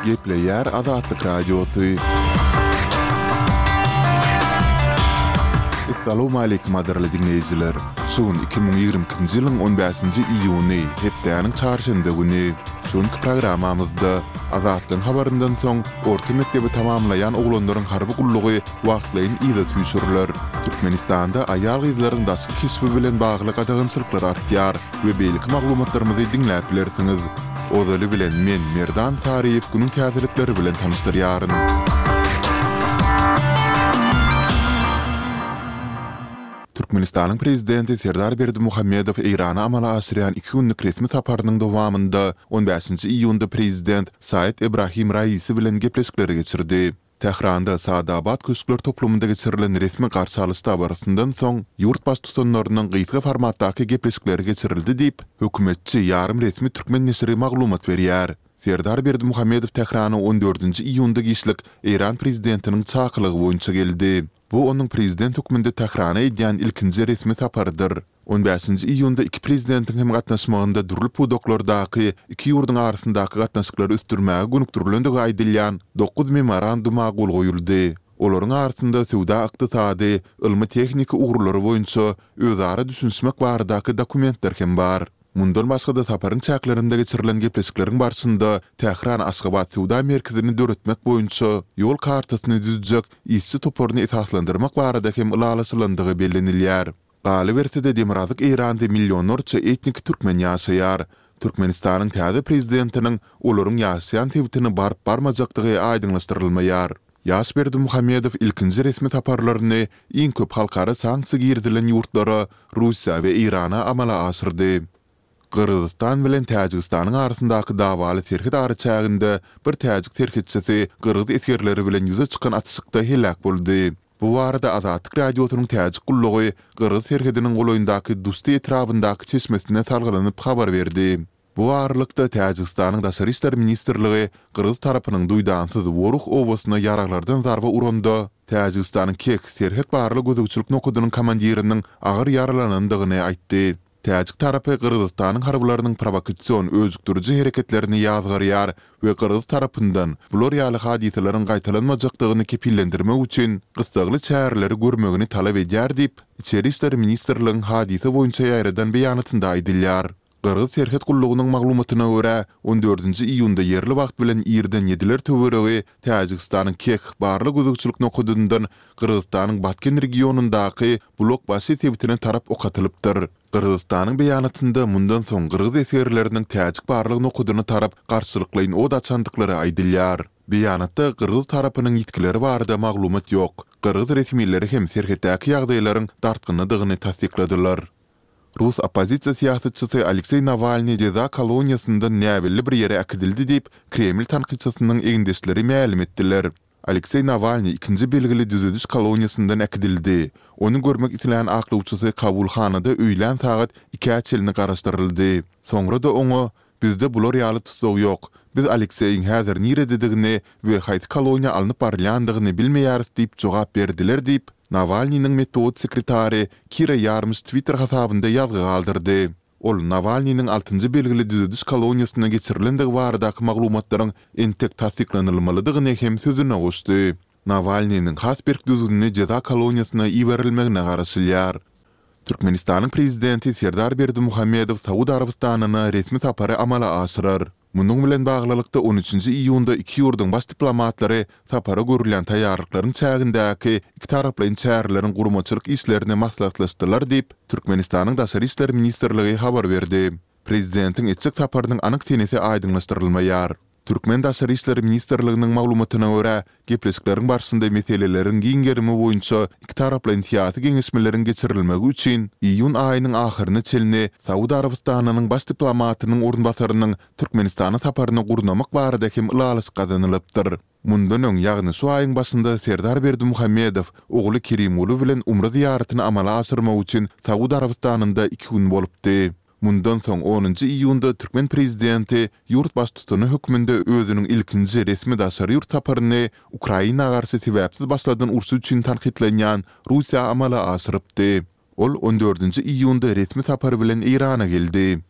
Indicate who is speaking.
Speaker 1: Gepleýär Azatlyk Radiosy. Essalawmaleýkim gadyrly diňleýjiler! Şu gün 2022-nji ýylyň on bäşinji iýuny, hepdäniň çarşenbe güni. Şu günki programmamyzda Azatlygyň habaryndan soň orta mekdebi tamamlaýan oglanlaryň harby gullugy wagtlaýyn yza süýşüriler. Türkmenistanda aýal-gyzlaryň daşky keşbi bilen bagly gadagançylyklar artýar we beýleki maglumatlarymyzy diňläp bilersiňiz. Ozaly bilen men, Merdan Saryýew günüň täzelikleri bilen tanyşdyrýaryn. Türkmenistanyň Prezidenti Serdar Berdimuhamedow Eýrana amala aşyrýan iki günlük resmi saparynyň dowamynda on bäşinji iýunda Prezident Said Ebrahim Raisi bilen gepleşikleri geçirdi. Tähranda Saadabad köşkler toplumynda geçirilen resmi garşy alyş dabarasyndan soň, ýurt baştutanlarynyň gysga formatdaky gepleşikleri geçirildi diýip, hökümetçi ýarym resmi türkmen neşiri maglumat berýär. Serdar Berdimuhamedow Tährana on dördünji iýunda giçlik Eýran prezidentiniň çakylygy boýunça geldi. Bu onuň prezident hökmünde Tährana edýän ilkinji resmi saparydyr. On bäşinji iýunda iki prezidentiň hem gatnaşmagynda dürli pudaklardaky iki ýurduň arasyndaky gatnaşyklary ösdürmäge gönükdirilendigi aýdylýan dokuz memoranduma gol goýuldy. Olaryň arasynda söwda-ykdysady, ylmy-tehniki ugurlary boýunça özara düşünişmek baradaky dokumentler hem bar. Mundan başga-da saparyň çäklerinde geçirilen gepleşikleriň barşynda Tähran-Aşgabat söwda merkezini döretmek boýunça ýol kartasyny düzjek işçi toparyny esaslandyrmak barada hem ylalaşylandygy bellenilýär. Galyberse-de Demirgazyk Eýranda millionlarça etnik türkmen ýaşaýar. Türkmenistanyň täze prezidentiniň olaryň ýaşaýan sebitine baryp-barmajakdygy aýdyňlaşdyrylmaýar. Ýaş Berdimuhamedow ilkinji resmi saparlaryny iň köp halkara sanksiýa girizilen ýurtlara, Russiýa we Eýrana amala aşyrdy. Gyrgyzystan bilen Täjigistanyň arasyndaky dawaly serhet araçäginde bir täjik serhetçisi gyrgyz esgerleri bilen ýüze çykan atyşykda heläk boldy. Bu barada Azatlyk Radiosynyň Täjik gullugy gyrgyz serhediniň golaýyndaky Dusti etrabyndaky çeşmesine salgylanyp habar berdi. Bu aralykda, Täjigistanyň Daşary işler ministrligi gyrgyz tarapynyň duýdansyz Woruh obasyna ýaraglardan zarba uranda, Täjigistanyň Kek serhet barlag-gözegçilik nokadynyň komandiriniň agyr ýaralanandygyny aýtdy. Täjik tarapy Gyrgyzystanyň harbylarynyň prowokasion öjükdiriji hereketlerini ýazgarýar we gyrgyz tarapyndan bular ýaly hadysalaryň gaýtalanmajakdygyny kepillendirmek üçin gyssagly çäreleri görmegini talap edýär diýip, Içeri işler ministrligiň hadysa boýunça ýaýradan beýanatynda aýdylýar. Gyrgyz serhet gullugynyň maglumatyna görä, on dördünji iýunda ýerli wagt bilen irden ýediler töweregi Täjigistanyň Keh barlag-gözegçilik nokadyndan Gyrgyzystanyň Batken regionyndaky Bulakbaşy sebitine tarap ok atylypdyr. Gyrgyzystanyň beýanatynda mundan soň gyrgyz esgerleriniň täjik barlag nokadyna tarap garşylyklaýyn od açandyklary aýdylýar. Beýanatda gyrgyz tarapynyň ýitgileri barada maglumat ýok. Gyrgyz resmileri hem serhetdäki ýagdaýlaryň dartgynlydygyny tassykladylar. Rus oppozisiýa syýasatçysy Alekseý Nawalnyý jeza koloniýasyndan näbelli bir ýere äkidildi diýip, Kreml tankytçysynyň egindeşleri mälim etdiler. Alekseý Nawalnyý ikinji belgili düzediş koloniýasyndan äkidildi. Ony görmek islän aklawçysy kabulhanada öýlän sagat ikä çenli garaşdyryldy. Soňra-da oňa, Bizde bular ýaly tussag ýok. Biz Alekseýiň häzir nirededigini we haýsy koloniýa alnyp barylýandygyny bilmeýäris diýip jogap berdiler diýip, Nawalnynyň metbugat sekretary Kira Ýarmyş Twitter hasabynda ýazgy galdyrdy. Ol Nawalnynyň altynjy belgili düzediş koloniýasyna geçirilendigi baradaky maglumatlaryň entek tassyklanylmalydygyny hem sözüne goşdy. Nawalnynyň has berk düzgünli jeza koloniýasyna iberilmegine garaşylýar. Türkmenistanyň Prezidenti Serdar Berdimuhamedow Saud Arabystanyna resmi sapary amala aşyrar. Munuň bilen baglylykda, on üçünji iýunda iki ýurduň baş diplomatlary sapara görülýän taýýarlyklaryň çägindäki ikitaraplaýyn çäreleriň guramaçylyk işlerini maslahatlaşdylar diýip, Türkmenistanyň Daşary işler ministrligi habar berdi. Prezidentiň etjek saparynyň anyk senesi aýdyňlaşdyrylmaýar. Türkmen Daşary işler ministrliginiň maglumatyna görä, gepleşikleriň barşynda meseleleriň giň gerimi boýunça ikitaraplaýyn syýasy geňeşmeleriň geçirilmegi üçin iýun aýynyň ahyryna çenli Saud Arabystanynyň baş diplomatynyň orunbasarynyň Türkmenistana saparyny gurnamak barada hem ylalaşyk gazanylypdyr. Mundan öň, ýagny şu aýyň başynda Serdar Berdimuhamedow ogly Kerimguly bilen umra zyýaratyny amala aşyrmak üçin Saud Arabystanynda iki gün bolupdy. Mundan soň onunjy iýunda türkmen prezidenti ýurt baştutany hökmünde özüniň ilkinji resmi daşary ýurt saparyny Ukraina garşy sebäpsiz başladan urşy üçin tankytlanýan Russiýa amala aşyrypdy. Ol on dördünji iýunda resmi sapar bilen Eýrana geldi.